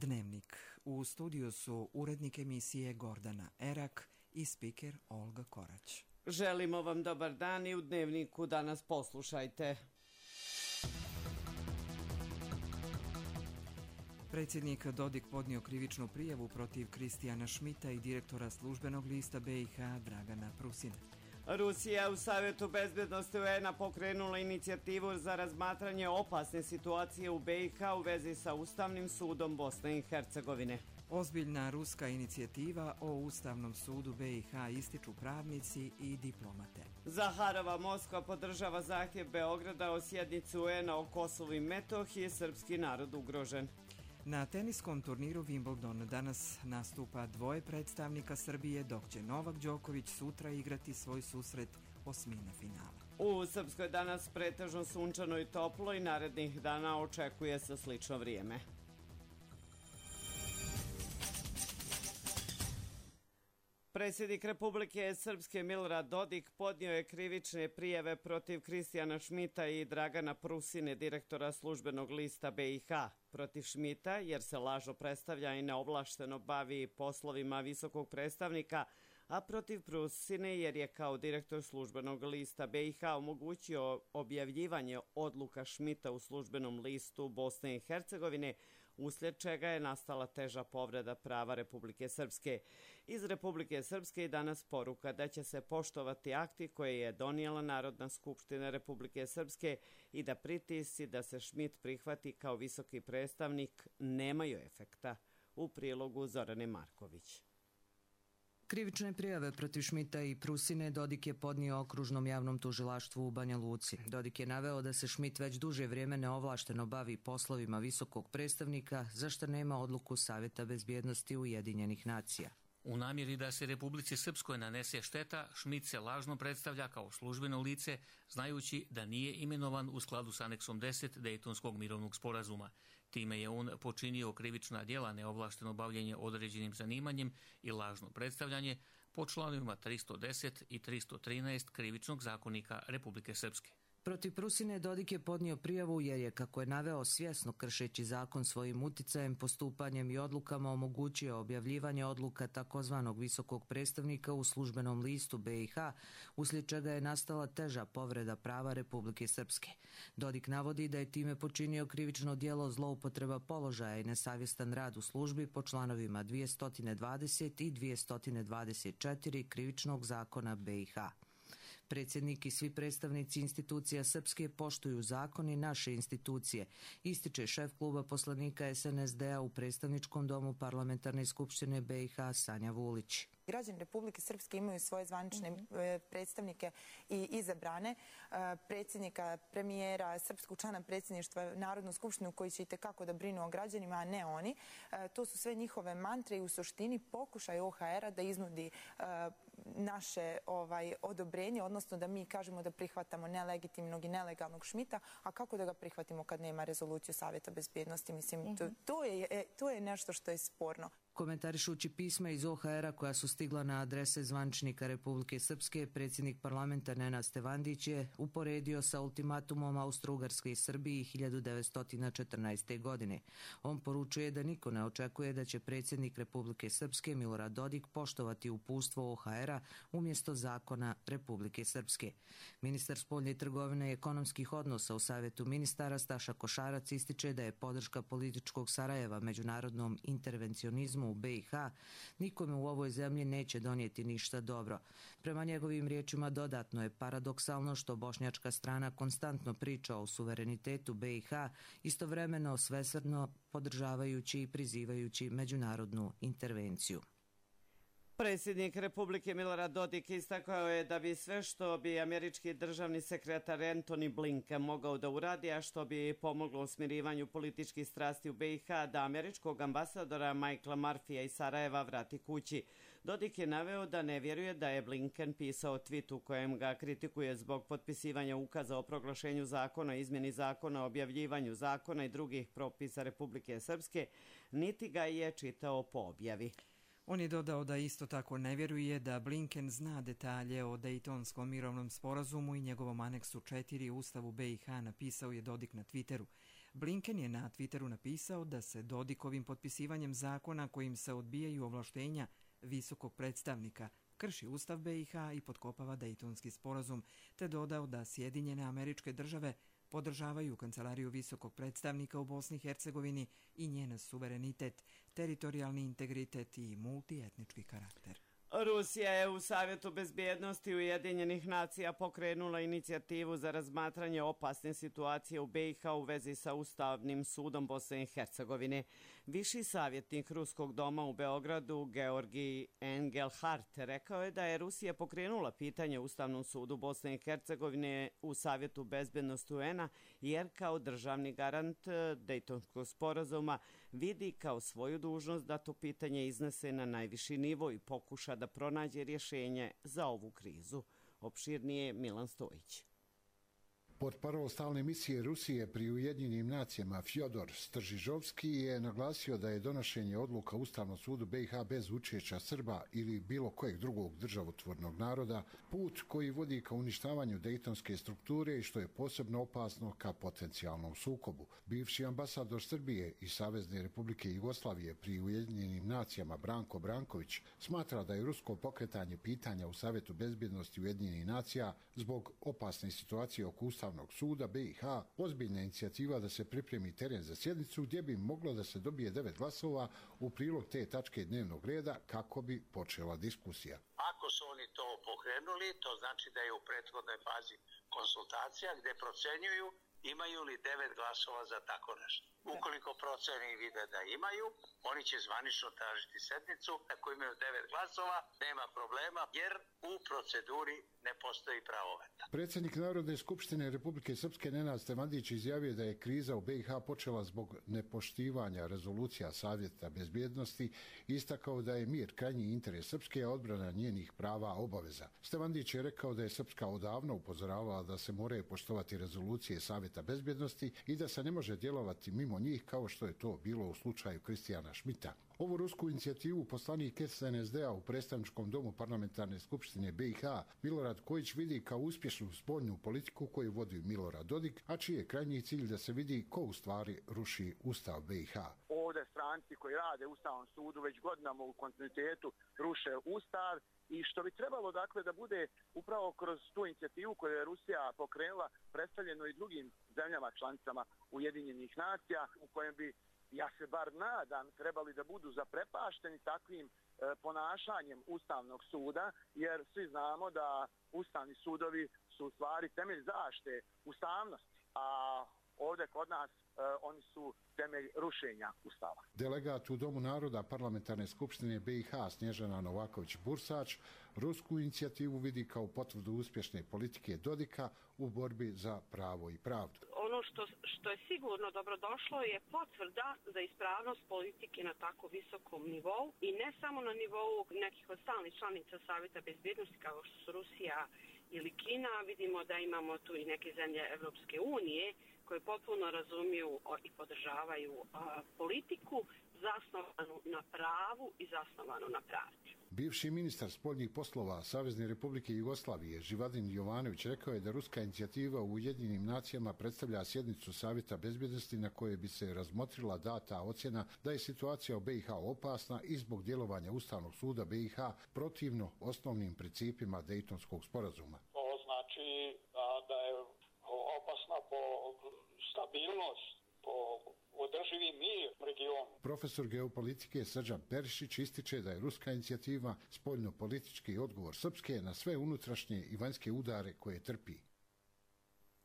Dnevnik. U studiju su urednik emisije Gordana Erak i spiker Olga Korać. Želimo vam dobar dan i u Dnevniku danas poslušajte. Predsjednik Dodik podnio krivičnu prijavu protiv Kristijana Šmita i direktora službenog lista BiH Dragana Prusina. Rusija u Savjetu bezbjednosti UN-a pokrenula inicijativu za razmatranje opasne situacije u BiH u vezi sa Ustavnim sudom Bosne i Hercegovine. Ozbiljna ruska inicijativa o Ustavnom sudu BiH ističu pravnici i diplomate. Zaharova Moskva podržava zahtjev Beograda o sjednici UN-a o Kosovu i Metohiji, srpski narod ugrožen. Na teniskom turniru Wimbledon danas nastupa dvoje predstavnika Srbije, dok će Novak Đoković sutra igrati svoj susret osmine finala. U Srpskoj danas pretežno sunčano i toplo i narednih dana očekuje se slično vrijeme. Predsjednik Republike Srpske Milorad Dodik podnio je krivične prijave protiv Kristijana Šmita i Dragana Prusine, direktora službenog lista BiH. Protiv Šmita jer se lažno predstavlja i neovlašteno bavi poslovima visokog predstavnika, a protiv Prusine jer je kao direktor službenog lista BiH omogućio objavljivanje odluka Šmita u službenom listu Bosne i Hercegovine, uslijed čega je nastala teža povreda prava Republike Srpske. Iz Republike Srpske i danas poruka da će se poštovati akti koje je donijela Narodna skupština Republike Srpske i da pritisci da se Šmit prihvati kao visoki predstavnik nemaju efekta. U prilogu Zorane Marković. Krivične prijave protiv Šmita i Prusine Dodik je podnio okružnom javnom tužilaštvu u Banja Luci. Dodik je naveo da se Šmit već duže vrijeme neovlašteno bavi poslovima visokog predstavnika, za što nema odluku Savjeta bezbjednosti Ujedinjenih nacija. U namjeri da se Republici Srpskoj nanese šteta, Šmit se lažno predstavlja kao službeno lice, znajući da nije imenovan u skladu s aneksom 10 Dejtonskog mirovnog sporazuma. Time je on počinio krivična djela neovlašteno bavljenje određenim zanimanjem i lažno predstavljanje po članovima 310 i 313 Krivičnog zakonika Republike Srpske. Protiv Prusine Dodik je podnio prijavu jer je, kako je naveo, svjesno kršeći zakon svojim uticajem, postupanjem i odlukama omogućio objavljivanje odluka takozvanog visokog predstavnika u službenom listu BiH, uslijed čega je nastala teža povreda prava Republike Srpske. Dodik navodi da je time počinio krivično djelo zloupotreba položaja i nesavjestan rad u službi po članovima 220 i 224 Krivičnog zakona BiH. Predsjednik i svi predstavnici institucija Srpske poštuju zakon i naše institucije, ističe šef kluba poslanika SNSD-a u predstavničkom domu Parlamentarne skupštine BiH Sanja Vulić. Građani Republike Srpske imaju svoje zvanične predstavnike i izabrane, predsjednika, premijera, srpskog člana predsjedništva, Narodnu skupštinu koji će itekako da brinu o građanima, a ne oni. To su sve njihove mantre i u suštini pokušaj OHR-a da iznudi naše odobrenje, odnosno da mi kažemo da prihvatamo nelegitimnog i nelegalnog Šmita, a kako da ga prihvatimo kad nema rezoluciju Savjeta bezbjednosti? Mislim, to je nešto što je sporno. Komentarišući pisma iz OHR-a koja su stigla na adrese zvančnika Republike Srpske, predsjednik parlamenta Nenad Stevandić je uporedio sa ultimatumom Austro-Ugarske i Srbiji 1914. godine. On poručuje da niko ne očekuje da će predsjednik Republike Srpske Milorad Dodik poštovati uputstvo OHR-a umjesto zakona Republike Srpske. Ministar spoljne trgovine i ekonomskih odnosa u Savjetu ministara Staša Košarac ističe da je podrška političkog Sarajeva međunarodnom intervencionizmu u BiH nikome u ovoj zemlji neće donijeti ništa dobro. Prema njegovim riječima dodatno je paradoksalno što bošnjačka strana konstantno priča o suverenitetu BiH, istovremeno svesrdno podržavajući i prizivajući međunarodnu intervenciju. Predsjednik Republike Milorad Dodik istakao je da bi sve što bi američki državni sekretar Antony Blinken mogao da uradi, a što bi pomoglo u smirivanju političkih strasti u BiH, da američkog ambasadora Michaela Murphyja iz Sarajeva vrati kući. Dodik je naveo da ne vjeruje da je Blinken pisao tweet u kojem ga kritikuje zbog potpisivanja ukaza o proglašenju zakona, izmjeni zakona, objavljivanju zakona i drugih propisa Republike Srpske, niti ga je čitao po objavi. On je dodao da isto tako ne vjeruje da Blinken zna detalje o Dejtonskom mirovnom sporazumu i njegovom aneksu 4 Ustavu BiH, napisao je Dodik na Twitteru. Blinken je na Twitteru napisao da se Dodikovim potpisivanjem zakona kojim se odbijaju ovlaštenja visokog predstavnika krši Ustav BiH i potkopava Dejtonski sporazum, te dodao da Sjedinjene Američke Države podržavaju Kancelariju visokog predstavnika u Bosni i Hercegovini i njen suverenitet, teritorijalni integritet i multietnički karakter. Rusija je u Savjetu bezbjednosti Ujedinjenih nacija pokrenula inicijativu za razmatranje opasne situacije u BiH u vezi sa Ustavnim sudom Bosne i Hercegovine. Viši savjetnik Ruskog doma u Beogradu, Georgij Engelhardt, rekao je da je Rusija pokrenula pitanje Ustavnom sudu Bosne i Hercegovine u Savjetu bezbjednosti UN-a jer kao državni garant Dejtonskog sporazuma vidi kao svoju dužnost da to pitanje iznese na najviši nivo i pokuša da pronađe rješenje za ovu krizu. Opširnije Milan Stojić. Portparol stalne misije Rusije pri Ujedinjenim nacijama Fjodor Stržižovski je naglasio da je donošenje odluka Ustavnom sudu BiH bez učešća Srba ili bilo kojeg drugog državotvornog naroda put koji vodi ka uništavanju dejtonske strukture i što je posebno opasno ka potencijalnom sukobu. Bivši ambasador Srbije i Savezne Republike Jugoslavije pri Ujedinjenim nacijama Branko Branković smatra da je rusko pokretanje pitanja u Savjetu bezbjednosti Ujedinjenih nacija zbog opasne situacije oko Ustavnog suda BiH ozbiljna inicijativa da se pripremi teren za sjednicu gdje bi moglo da se dobije 9 glasova u prilog te tačke dnevnog reda kako bi počela diskusija. Ako su oni to pokrenuli, to znači da je u prethodnoj fazi konsultacija gdje procenjuju imaju li 9 glasova za tako nešto. Ukoliko proceni i vide da imaju, oni će zvanično tražiti sednicu. Ako imaju 9 glasova, nema problema jer u proceduri ne postoji pravo veta. Predsjednik Narodne skupštine Republike Srpske Nenad Stevandić izjavio da je kriza u BiH počela zbog nepoštivanja rezolucija Savjeta bezbjednosti i istakao da je mir krajnji interes Srpske, a odbrana njenih prava obaveza. Stevandić je rekao da je Srpska odavno upozoravala da se moraju poštovati rezolucije Savjeta bezbjednosti i da se ne može djelovati mimo njih kao što je to bilo u slučaju Kristijana Šmita. Ovu rusku inicijativu poslanik SNSD-a u predstavničkom domu parlamentarne skupštine BiH Milorad Kojić vidi kao uspješnu spoljnu politiku koju vodi Milorad Dodik, a čiji je krajnji cilj da se vidi ko u stvari ruši Ustav BiH. Ovdje stranci koji rade u Ustavnom sudu već godinama u kontinuitetu ruše Ustav i što bi trebalo dakle da bude upravo kroz tu inicijativu koju je Rusija pokrenula predstavljeno i drugim zemljama članicama Ujedinjenih nacija u kojem bi, ja se bar nadam, trebali da budu zaprepašteni takvim ponašanjem Ustavnog suda, jer svi znamo da Ustavni sudovi su u stvari temelj zaštite ustavnosti, a ovdje kod nas oni su temelj rušenja Ustava. Delegat u Domu naroda Parlamentarne skupštine BiH Snježana Novaković-Bursač rusku inicijativu vidi kao potvrdu uspješne politike Dodika u borbi za pravo i pravdu. Ono što je sigurno dobrodošlo je potvrda za ispravnost politike na tako visokom nivou i ne samo na nivou nekih od stalnih članica Savjeta bezbjednosti kao što su Rusija ili Kina. Vidimo da imamo tu i neke zemlje Evropske unije koje potpuno razumiju i podržavaju politiku zasnovanu na pravu i zasnovanu na pravdi. Bivši ministar spoljnih poslova Savezne Republike Jugoslavije Živadin Jovanović rekao je da ruska inicijativa u Ujedinjenim nacijama predstavlja sjednicu Savjeta bezbjednosti na kojoj bi se razmotrila data ocjena da je situacija u BiH opasna i zbog djelovanja Ustavnog suda BiH protivno osnovnim principima Dejtonskog sporazuma. To znači da je opasna po stabilnost, po održivi mir u regionu. Profesor geopolitike Srđan Perišić ističe da je ruska inicijativa spoljno-politički odgovor Srpske na sve unutrašnje i vanjske udare koje trpi.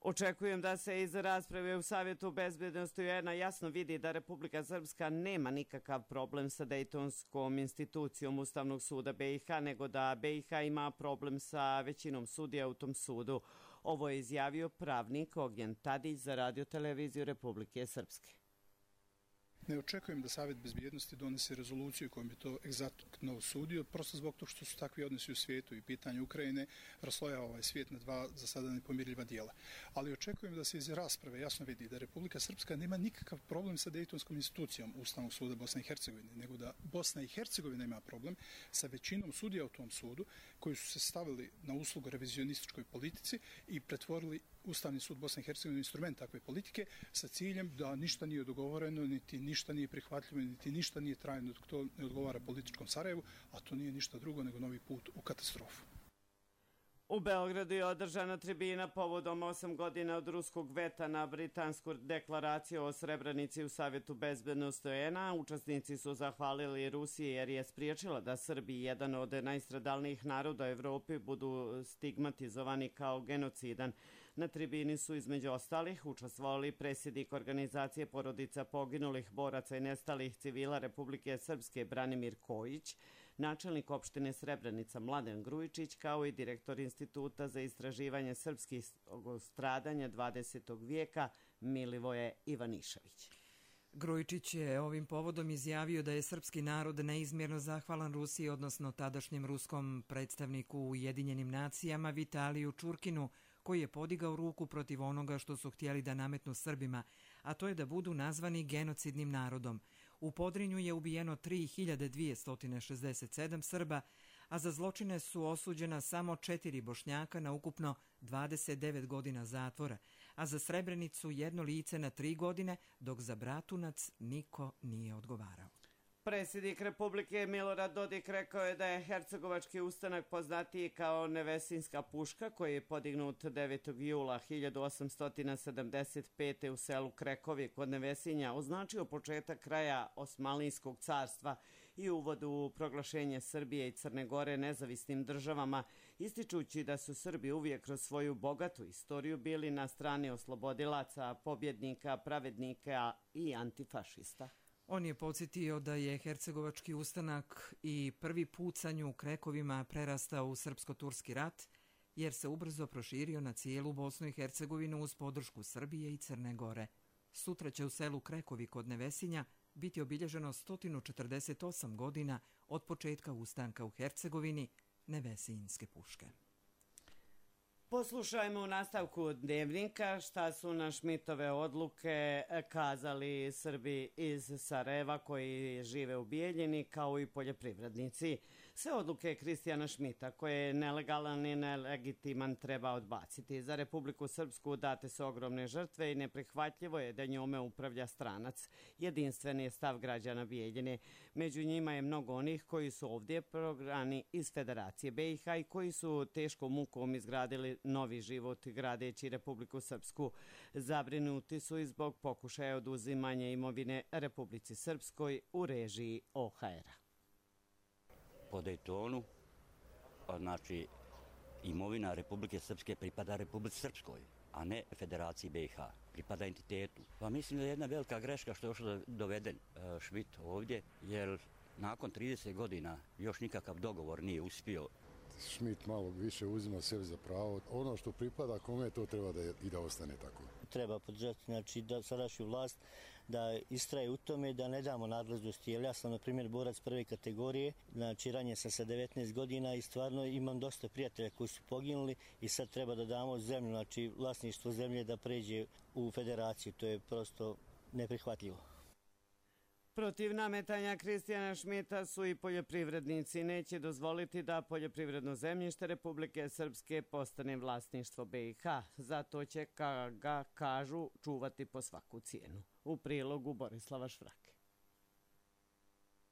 Očekujem da se iz rasprave u Savjetu bezbjednosti UN-a jasno vidi da Republika Srpska nema nikakav problem sa Dejtonskom institucijom Ustavnog suda BiH, nego da BiH ima problem sa većinom sudija u tom sudu. Ovo je izjavio pravnik Ognjen Tadić za Radio televiziju Republike Srpske. Ne očekujem da Savjet bezbjednosti donese rezoluciju kojom bi to egzaktno osudio, prosto zbog toga što su takvi odnosi u svijetu i pitanje Ukrajine raslojava ovaj svijet na dva za sada nepomirljiva dijela. Ali očekujem da se iz rasprave jasno vidi da Republika Srpska nema nikakav problem sa Dejtonskom institucijom Ustavnog suda Bosne i Hercegovine, nego da Bosna i Hercegovina ima problem sa većinom sudija u tom sudu koji su se stavili na uslugu revizionističkoj politici i pretvorili Ustavni sud Bosne i Hercegovine instrument takve politike sa ciljem da ništa nije dogovoreno, niti ništa nije prihvatljivo, niti ništa nije trajno dok to ne odgovara političkom Sarajevu, a to nije ništa drugo nego novi put u katastrofu. U Beogradu je održana tribina povodom 8 godina od ruskog veta na britansku deklaraciju o Srebrenici u Savjetu bezbednosti UN-a. Učesnici su zahvalili Rusiji jer je spriječila da Srbi, jedan od najstradalnijih naroda u Evropi, budu stigmatizovani kao genocidan. Na tribini su između ostalih učestvovali predsjednik organizacije porodica poginulih boraca i nestalih civila Republike Srpske Branimir Kojić, načelnik opštine Srebrenica Mladen Grujičić, kao i direktor Instituta za istraživanje srpskih stradanja 20. vijeka Milivoje Ivanišević. Grujičić je ovim povodom izjavio da je srpski narod neizmjerno zahvalan Rusiji, odnosno tadašnjem ruskom predstavniku u Ujedinjenim nacijama Vitaliju Čurkinu, koji je podigao ruku protiv onoga što su htjeli da nametnu Srbima, a to je da budu nazvani genocidnim narodom. U Podrinju je ubijeno 3267 Srba, a za zločine su osuđena samo 4 Bošnjaka na ukupno 29 godina zatvora, a za Srebrenicu 1 lice na 3 godine, dok za Bratunac niko nije odgovarao. Predsjednik Republike Milorad Dodik rekao je da je Hercegovački ustanak poznatiji kao Nevesinska puška, koji je podignut 9. jula 1875. u selu Krekovi kod Nevesinja, označio početak kraja Osmanlijskog carstva i uvod u proglašenje Srbije i Crne Gore nezavisnim državama, ističući da su Srbi uvijek kroz svoju bogatu istoriju bili na strani oslobodilaca, pobjednika, pravednika i antifašista. On je podsjetio da je Hercegovački ustanak i prvi pucanj u Krekovima prerastao u srpsko-turski rat, jer se ubrzo proširio na cijelu Bosnu i Hercegovinu uz podršku Srbije i Crne Gore. Sutra će u selu Krekovi kod Nevesinja biti obilježeno 148 godina od početka ustanka u Hercegovini Nevesinjske puške. Poslušajmo u nastavku Dnevnika šta su na Šmitove odluke kazali Srbi iz Sarajeva koji žive u Bijeljini, kao i poljoprivrednici. Sve odluke Kristijana Šmita, koje je nelegalan i nelegitiman, treba odbaciti. Za Republiku Srpsku date su ogromne žrtve i neprihvatljivo je da njome upravlja stranac. Jedinstven je stav građana Bijeljine. Među njima je mnogo onih koji su ovdje prognani iz Federacije BiH i koji su teškom mukom izgradili novi život gradeći Republiku Srpsku. Zabrinuti su i zbog pokušaja oduzimanja imovine Republici Srpskoj u režiji OHR-a. Po Dejtonu, znači imovina Republike Srpske pripada Republici Srpskoj, a ne Federaciji BiH, pripada entitetu. Pa mislim da je jedna velika greška što je još doveden Šmit ovdje, jer nakon 30 godina još nikakav dogovor nije uspio. Šmit malo više uzima sebi za pravo. Ono što pripada kome, to treba da ostane tako. Treba podržati, znači, da sadašnju vlast da istraje u tome da ne damo nadležnosti, jer ja sam, na primjer, borac prve kategorije, znači ranije sam sa 19 godina i stvarno imam dosta prijatelja koji su poginuli i sad treba da damo zemlju, znači vlasništvo zemlje da pređe u federaciju, to je prosto neprihvatljivo. Protiv nametanja Kristijana Šmita su i poljoprivrednici. Neće dozvoliti da poljoprivredno zemljište Republike Srpske postane vlasništvo BiH. Zato će ga, kažu, čuvati po svaku cijenu. U prilogu Borislava Švrake.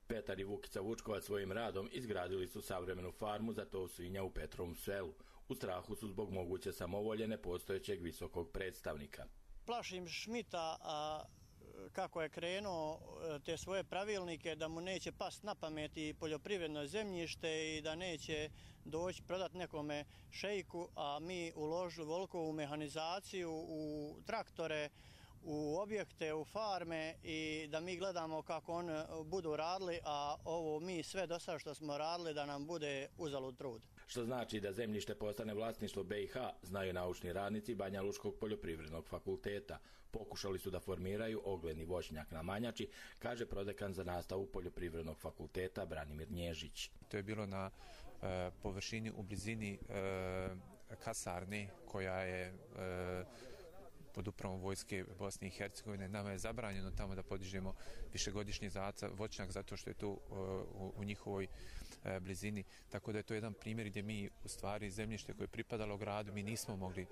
Petar i Vukica Vučkovac svojim radom izgradili su savremenu farmu za tov svinja u Petrovom selu. U strahu su zbog moguće samovolje nepostojećeg visokog predstavnika. Plašim Šmita, kako je krenuo te svoje pravilnike, da mu neće past na pamet i poljoprivredno zemljište i da neće doći prodati nekome šejku, a mi uložili veliko u mehanizaciju, u traktore, u objekte, u farme i da mi gledamo kako oni budu radili, a ovo mi sve do sada što smo radili da nam bude uzalud trud. Što znači da zemljište postane vlasništvo BiH, znaju naučni radnici Banja Lučkog poljoprivrednog fakulteta. Pokušali su da formiraju ogledni voćnjak na Manjači, kaže prodekan za nastavu poljoprivrednog fakulteta Branimir Nježić. To je bilo na površini u blizini kasarne koja je pod upravom vojske Bosne i Hercegovine. Nama je zabranjeno tamo da podižemo višegodišnji voćnjak zato što je to u njihovoj blizini. Tako da je to jedan primjer gdje mi u stvari zemljište koje je pripadalo gradu mi nismo mogli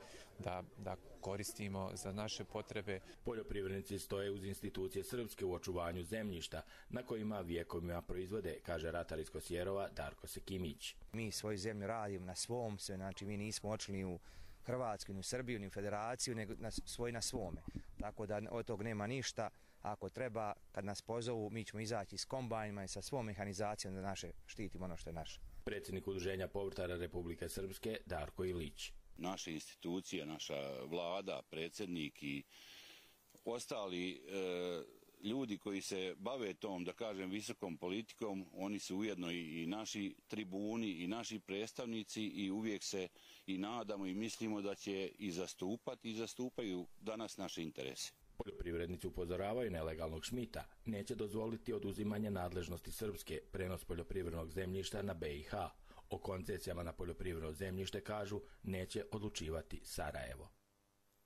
da koristimo za naše potrebe. Poljoprivrednici stoje uz institucije srpske u očuvanju zemljišta na kojima vjekovima proizvode, kaže ratar iz Kosjerova Darko Sekimić. Mi svoju zemlju radimo na svom se, znači mi nismo očili ni u Hrvatsku, ni u Srbiju, ni u Federaciju, nego svoj na svome. Tako da od tog nema ništa. Ako treba, kad nas pozovu, mi ćemo izaći s kombajnima i sa svom mehanizacijom da štitimo ono što je naše. Predsjednik Udruženja povrtara Republike Srpske Darko Ilić. Naše institucije, naša vlada, predsjednik i ostali ljudi koji se bave tom, da kažem, visokom politikom, oni su ujedno i naši tribuni i naši predstavnici i uvijek se i nadamo i mislimo da će i zastupati i zastupaju danas naše interese. Poljoprivrednici upozoravaju nelegalnog šmita. Neće dozvoliti oduzimanje nadležnosti Srpske, prenos poljoprivrednog zemljišta na BiH. O koncesijama na poljoprivredno zemljište, kažu, neće odlučivati Sarajevo.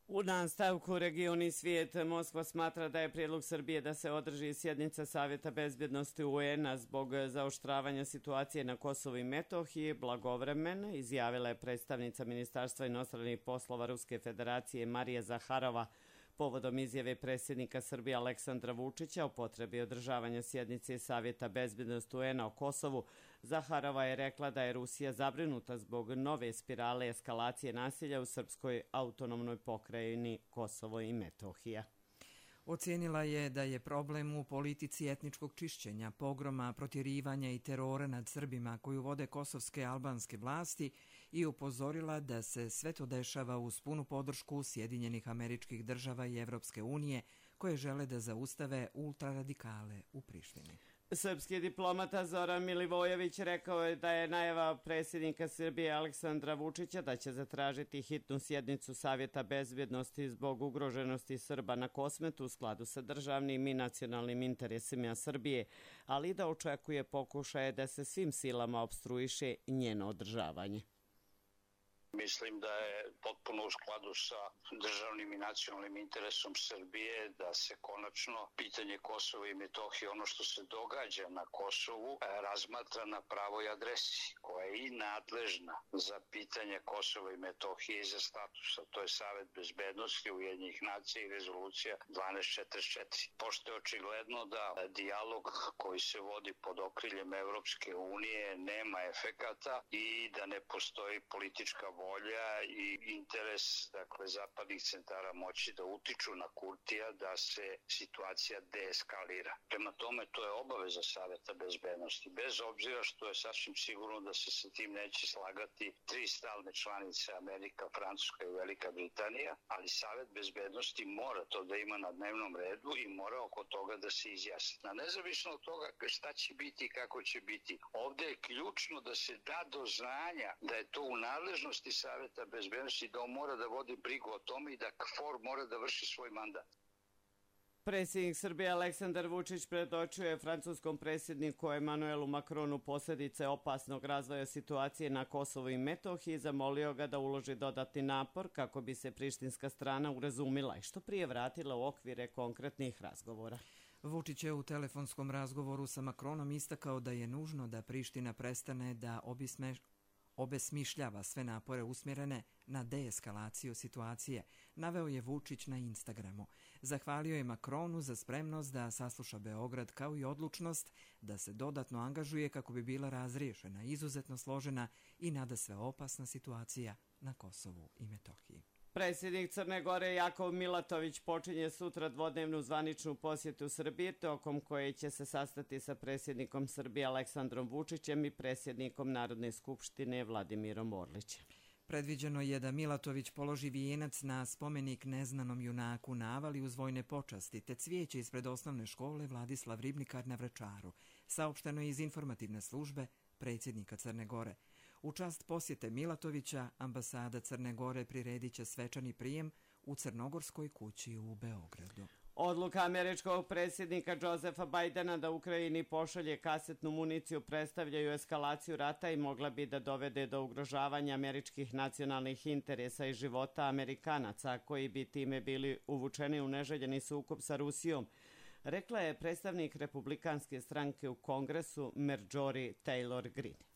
U nastavku regioni svijet, Moskva smatra da je prijedlog Srbije da se održi sjednica Savjeta bezbjednosti UN-a zbog zaoštravanja situacije na Kosovu i Metohiji blagovremena, izjavila je predstavnica Ministarstva inostranih poslova Ruske federacije Marija Zaharova povodom izjave predsjednika Srbije Aleksandra Vučića o potrebi održavanja sjednice Savjeta bezbjednosti UN-a o Kosovu. Zaharova je rekla da je Rusija zabrinuta zbog nove spirale eskalacije nasilja u srpskoj autonomnoj pokrajini Kosovo i Metohija. Ocijenila je da je problem u politici etničkog čišćenja, pogroma, protjerivanja i terora nad Srbima koju vode kosovske albanske vlasti i upozorila da se sve to dešava uz punu podršku Sjedinjenih Američkih Država i Evropske unije koje žele da zaustave ultraradikale u Prištini. Srpski diplomata Zoran Milivojević rekao je da je najava predsjednika Srbije Aleksandra Vučića da će zatražiti hitnu sjednicu Savjeta bezbjednosti zbog ugroženosti Srba na Kosmetu u skladu sa državnim i nacionalnim interesima Srbije, ali da očekuje pokušaje da se svim silama opstruiše njeno održavanje. Mislim da je potpuno u skladu sa državnim i nacionalnim interesom Srbije da se konačno pitanje Kosova i Metohije, ono što se događa na Kosovu, razmatra na pravoj adresi, koja je i nadležna za pitanje Kosova i Metohije i za statusa. To je Savet bezbednosti Ujedinjenih nacija i rezolucija 1244. Pošto je očigledno da dijalog koji se vodi pod okriljem Evropske unije nema efekata i da ne postoji politička volja i interes, dakle, zapadnih centara moći da utiču na Kurtija da se situacija deeskalira. Prema tome, to je obaveza Saveta bezbednosti, bez obzira što je sasvim sigurno da se sa tim neće slagati 3 stalne članice Amerika, Francuska i Velika Britanija, ali Savet bezbednosti mora to da ima na dnevnom redu i mora oko toga da se izjasni. Na nezavisno od toga šta će biti i kako će biti, ovde je ključno da se da do znanja da je to u nadležnosti Saveta bezbednosti, da on mora da vodi brigu o tome i da KFOR mora da vrši svoj mandat. Predsjednik Srbije Aleksandar Vučić predočio je francuskom predsjedniku Emanuelu Macronu posljedice opasnog razvoja situacije na Kosovu i Metohiji i zamolio ga da uloži dodatni napor kako bi se prištinska strana urazumila i što prije vratila u okvire konkretnih razgovora. Vučić je u telefonskom razgovoru sa Macronom istakao da je nužno da Priština prestane da obesmišljava sve napore usmjerene na deeskalaciju situacije, naveo je Vučić na Instagramu. Zahvalio je Macronu za spremnost da sasluša Beograd kao i odlučnost da se dodatno angažuje kako bi bila razriješena izuzetno složena i nadasve opasna situacija na Kosovu i Metohiji. Predsjednik Crne Gore Jakov Milatović počinje sutra dvodnevnu zvaničnu posjetu Srbije, tokom koje će se sastati sa predsjednikom Srbije Aleksandrom Vučićem i predsjednikom Narodne skupštine Vladimirom Orlićem. Predviđeno je da Milatović položi vijenac na spomenik neznanom junaku na Avali uz vojne počasti, te cvijeće ispred osnovne škole Vladislav Ribnikar na Vračaru, saopšteno je iz informativne službe predsjednika Crne Gore. U čast posjete Milatovića, ambasada Crne Gore priredit će svečani prijem u Crnogorskoj kući u Beogradu. Odluka američkog predsjednika Josefa Bajdena da Ukrajini pošalje kasetnu municiju predstavljaju eskalaciju rata i mogla bi da dovede do ugrožavanja američkih nacionalnih interesa i života Amerikanaca, koji bi time bili uvučeni u neželjeni sukob sa Rusijom, rekla je predstavnik republikanske stranke u Kongresu Marjorie Taylor Greene.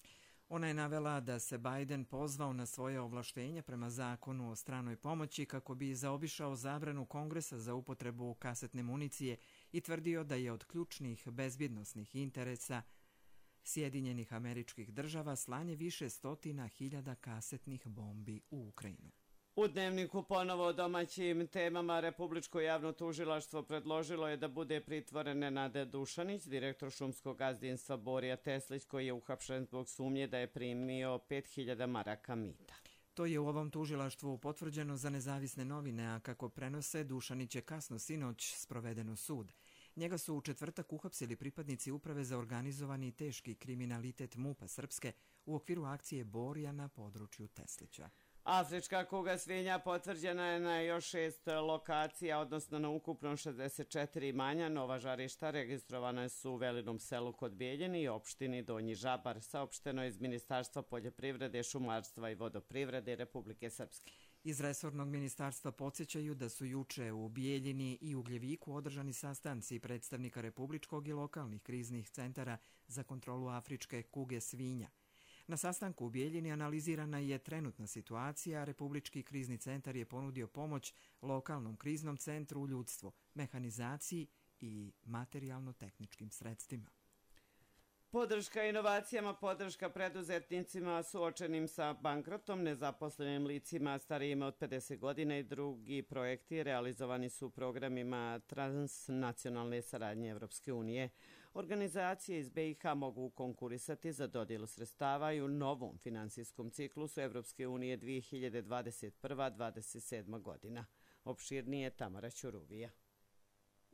Ona je navela da se Biden pozvao na svoje ovlaštenja prema zakonu o stranoj pomoći kako bi zaobišao zabranu Kongresa za upotrebu kasetne municije i tvrdio da je od ključnih bezbjednosnih interesa Sjedinjenih Američkih Država slanje više stotina hiljada kasetnih bombi u Ukrajinu. U Dnevniku ponovo o domaćim temama Republičko javno tužilaštvo predložilo je da bude pritvoren Nenad Dušanić, direktor šumskog gazdinstva Borija Teslić, koji je uhapšen zbog sumnje da je primio 5.000 maraka mita. To je u ovom tužilaštvu potvrđeno za nezavisne novine, a kako prenose, Dušanić je kasno sinoć sproveden u sud. Njega su u četvrtak uhapsili pripadnici Uprave za organizovani i teški kriminalitet MUP-a Srpske u okviru akcije Borija na području Teslića. Afrička kuga svinja potvrđena je na još 6 lokacija, odnosno na ukupno 64 imanja. Nova žarišta registrovane su u Velinom selu kod Bijeljine i opštini Donji Žabar, saopšteno iz Ministarstva poljoprivrede, šumarstva i vodoprivrede Republike Srpske. Iz resornog ministarstva podsjećaju da su juče u Bijeljini i Ugljeviku održani sastanci predstavnika republičkog i lokalnih kriznih centara za kontrolu afričke kuge svinja. Na sastanku u Bijeljini analizirana je trenutna situacija, a Republički krizni centar je ponudio pomoć lokalnom kriznom centru u ljudstvu, mehanizaciji i materijalno-tehničkim sredstvima. Podrška inovacijama, podrška preduzetnicima suočenim sa bankrotom, nezaposlenim licima starijima od 50 godina i drugi projekti realizovani su u programima transnacionalne saradnje Evropske unije. Organizacije iz BiH mogu konkurisati za dodjelu sredstava i u novom finansijskom ciklusu Evropske unije 2021-2027 godina. Opširnije Tamara Ćuruvija.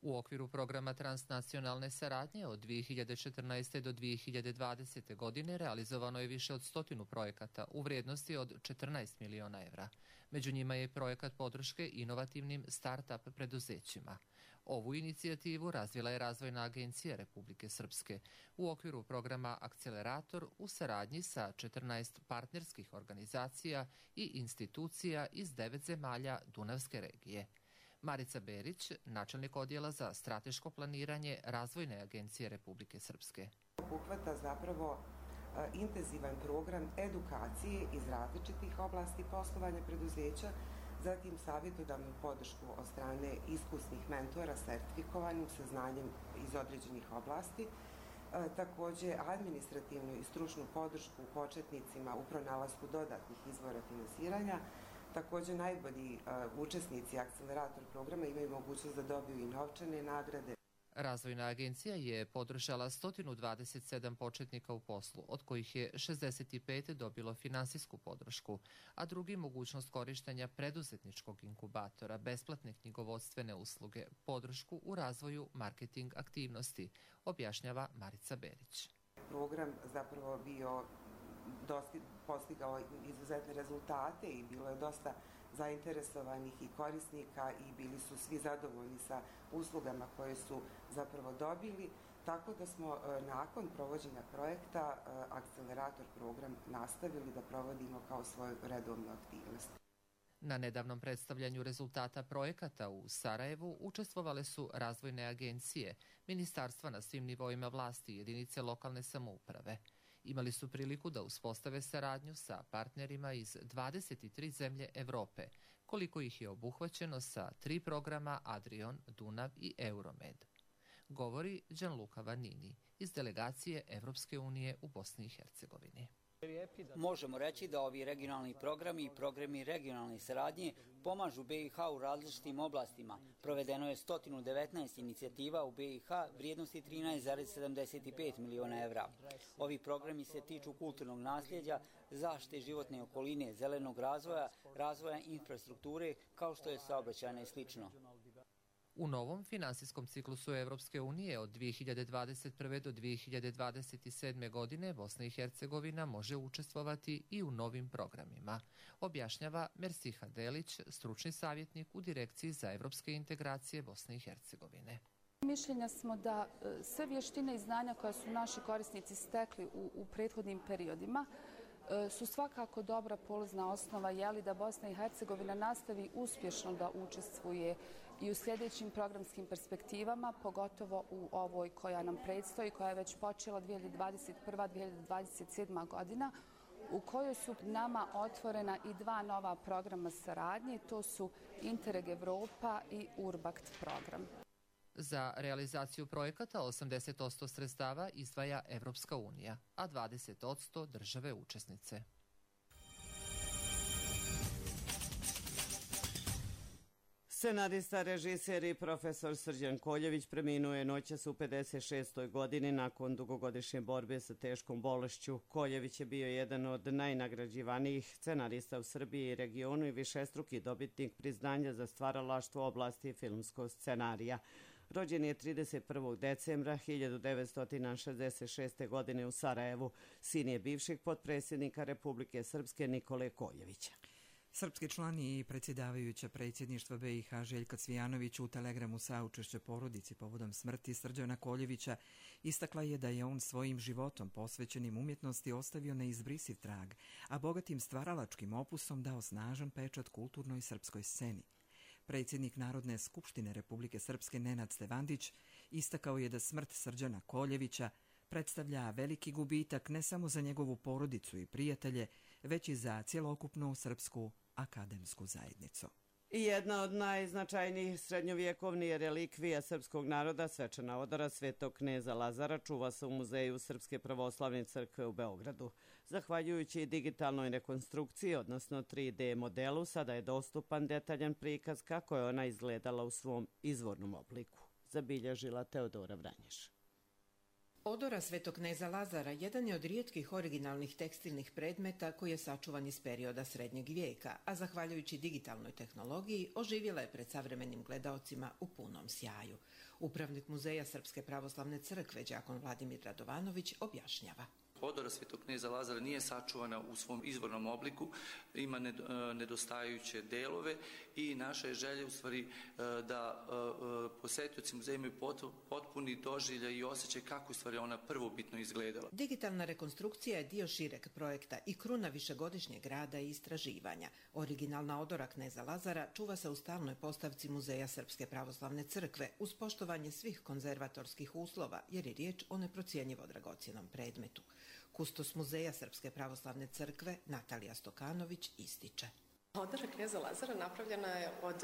U okviru programa transnacionalne saradnje od 2014. do 2020. godine realizovano je više od 100 projekata u vrijednosti od 14 miliona evra. Među njima je projekat podrške inovativnim start-up preduzećima. Ovu inicijativu razvila je Razvojna agencija Republike Srpske u okviru programa Akcelerator u saradnji sa 14 partnerskih organizacija i institucija iz 9 zemalja Dunavske regije. Marica Berić, načelnik odjela za strateško planiranje Razvojne agencije Republike Srpske. Obuhvata zapravo intenzivan program edukacije iz različitih oblasti poslovanja preduzeća, zatim savjetodavnu podršku od strane iskusnih mentora sertifikovanim sa znanjem iz određenih oblasti, također administrativnu i stručnu podršku početnicima u pronalasku dodatnih izvora finansiranja. Također najbolji učesnici Akcelerator programa imaju mogućnost da dobiju i novčane nagrade. Razvojna agencija je podržala 127 početnika u poslu, od kojih je 65 dobilo finansijsku podršku, a drugi mogućnost korištenja preduzetničkog inkubatora, besplatne knjigovodstvene usluge, podršku u razvoju marketing aktivnosti, objašnjava Marica Berić. Program zapravo bio postigao izuzetne rezultate i bilo je dosta zainteresovanih i korisnika i bili su svi zadovoljni sa uslugama koje su zapravo dobili, tako da smo nakon provođenja projekta Akcelerator program nastavili da provodimo kao svoju redovnu aktivnost. Na nedavnom predstavljanju rezultata projekata u Sarajevu učestvovale su razvojne agencije, ministarstva na svim nivoima vlasti i jedinice lokalne samouprave. Imali su priliku da uspostave saradnju sa partnerima iz 23 zemlje Evrope, koliko ih je obuhvaćeno sa 3 programa Adrion, Dunav i Euromed. Govori Gianluca Vanini iz delegacije Evropske unije u Bosni i Hercegovini. Možemo reći da ovi regionalni programi i programi regionalne saradnje pomažu BiH u različitim oblastima. Provedeno je 119 inicijativa u BiH vrijednosti 13,75 miliona evra. Ovi programi se tiču kulturnog nasljeđa, zaštite životne okoline, zelenog razvoja, razvoja infrastrukture kao što je saobraćajna i slično. U novom finansijskom ciklusu Evropske unije od 2021. do 2027. godine Bosna i Hercegovina može učestvovati i u novim programima, objašnjava Mersiha Delić, stručni savjetnik u Direkciji za evropske integracije Bosne i Hercegovine. Mišljenja smo da sve vještine i znanja koje su naši korisnici stekli u prethodnim periodima su svakako dobra polazna osnova da Bosna i Hercegovina nastavi uspješno da učestvuje i u sljedećim programskim perspektivama, pogotovo u ovoj koja nam predstoji, koja je već počela 2021-2027. godina, u kojoj su nama otvorena i dva nova programa saradnje, to su Interreg Evropa i Urbakt program. Za realizaciju projekata 80% sredstava izdvaja Evropska unija, a 20% države učesnice. Scenarista, režiser i profesor Srđan Koljević preminuo je noćas u 56. godini nakon dugogodišnje borbe sa teškom bolešću. Koljević je bio jedan od najnagrađivanijih scenarista u Srbiji i regionu i višestruki dobitnik priznanja za stvaralaštvo u oblasti filmskog scenarija. Rođen je 31. decembra 1966. godine u Sarajevu. Sin je bivšeg potpredsjednika Republike Srpske Nikole Koljevića. Srpski član i predsjedavajuća predsjedništva BiH Željka Cvijanović u telegramu saučešća porodici povodom smrti Srđana Koljevića istakla je da je on svojim životom posvećenim umjetnosti ostavio neizbrisiv trag, a bogatim stvaralačkim opusom dao snažan pečat kulturnoj srpskoj sceni. Predsjednik Narodne skupštine Republike Srpske Nenad Stevandić istakao je da smrt Srđana Koljevića predstavlja veliki gubitak ne samo za njegovu porodicu i prijatelje, već i za cjelokupnu srpsku akademsku zajednicu. I jedna od najznačajnijih srednjovjekovnih relikvija srpskog naroda, svečana odora Svetog kneza Lazara, čuva se u Muzeju Srpske pravoslavne crkve u Beogradu. Zahvaljujući digitalnoj rekonstrukciji, odnosno 3D modelu, sada je dostupan detaljan prikaz kako je ona izgledala u svom izvornom obliku, zabilježila Teodora Vranješ. Odora Svetog kneza Lazara jedan je od rijetkih originalnih tekstilnih predmeta koji je sačuvan iz perioda srednjeg vijeka, a zahvaljujući digitalnoj tehnologiji oživjela je pred savremenim gledaocima u punom sjaju. Upravnik Muzeja Srpske pravoslavne crkve đakon Vladimir Radovanović objašnjava. Odora Svetog kneza Lazara nije sačuvana u svom izvornom obliku, ima nedostajuće delove i naša je želja u stvari da posjetioci muzeja imaju potpuni doživljaj i osjećaj kako u stvari ona prvobitno izgledala. Digitalna rekonstrukcija je dio šireg projekta i kruna višegodišnjeg rada i istraživanja. Originalna odora kneza Lazara čuva se u stalnoj postavci Muzeja Srpske pravoslavne crkve uz poštovanje svih konzervatorskih uslova jer je riječ o neprocjenjivo dragocjenom predmetu. Kustos Muzeja Srpske pravoslavne crkve Natalija Stokanović ističe. Odora kneza Lazara napravljena je od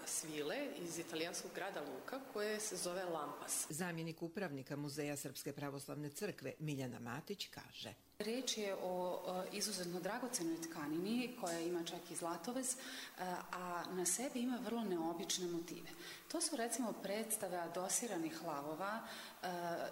svile iz italijanskog grada Luka koje se zove lampas. Zamjenik upravnika Muzeja Srpske pravoslavne crkve Miljana Matić kaže. Riječ je o izuzetno dragocenoj tkanini koja ima čak i zlatovez, a na sebi ima vrlo neobične motive. To su recimo predstave adosiranih lavova.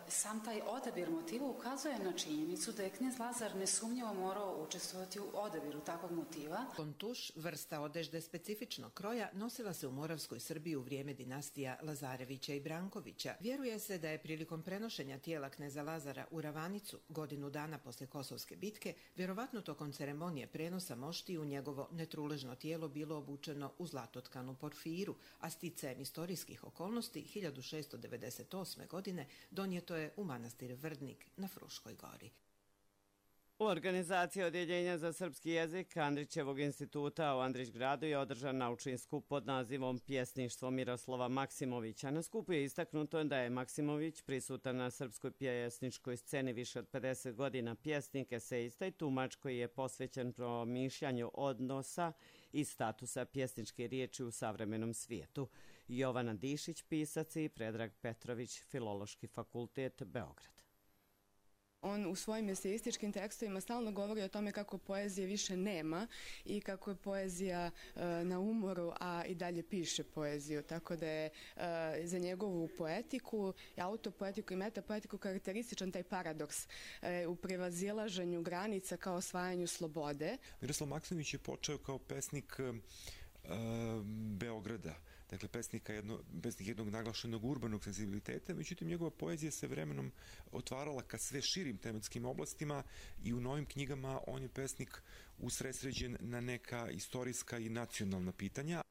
Sam taj odabir motiva ukazuje na činjenicu da je knez Lazar nesumnjivo morao učestvovati u odabiru takvog motiva. Kontuš, vrsta odežde specifičnog kroja, nosila se u Moravskoj Srbiji u vrijeme dinastija Lazarevića i Brankovića. Vjeruje se da je prilikom prenošenja tijela kneza Lazara u Ravanicu, godinu dana posle Kosovske bitke, vjerovatno tokom ceremonije prenosa moštiju njegovo netruležno tijelo bilo obučeno u zlatotkanu porfiru, a sticajem istorijskih okolnosti 1698. godine donijeto je u manastir Vrdnik na Fruškoj gori. U organizaciji Odjeljenja za srpski jezik Andrićevog instituta u Andrićgradu je održan naučni skup pod nazivom Pjesništvo Miroslava Maksimovića. Na skupu je istaknuto da je Maksimović prisutan na srpskoj pjesničkoj sceni više od 50 godina, pjesnik, esejista i tumač koji je posvećen promišljanju odnosa i statusa pjesničke riječi u savremenom svijetu. Jovana Dišić, pisac, i Predrag Petrović, Filološki fakultet, Beograd. On u svojim eseističkim tekstovima stalno govori o tome kako poezije više nema i kako je poezija na umoru, a i dalje piše poeziju. Tako da je za njegovu poetiku, autopoetiku i metapoetiku karakterističan taj paradoks u prevazilaženju granica kao osvajanju slobode. Miroslav Maksimović je počeo kao pesnik Beograda, dakle pesnik jednog naglašenog urbanog senzibiliteta, međutim njegova poezija se vremenom otvarala ka sve širim tematskim oblastima i u novim knjigama on je pesnik usredsređen na neka istorijska i nacionalna pitanja.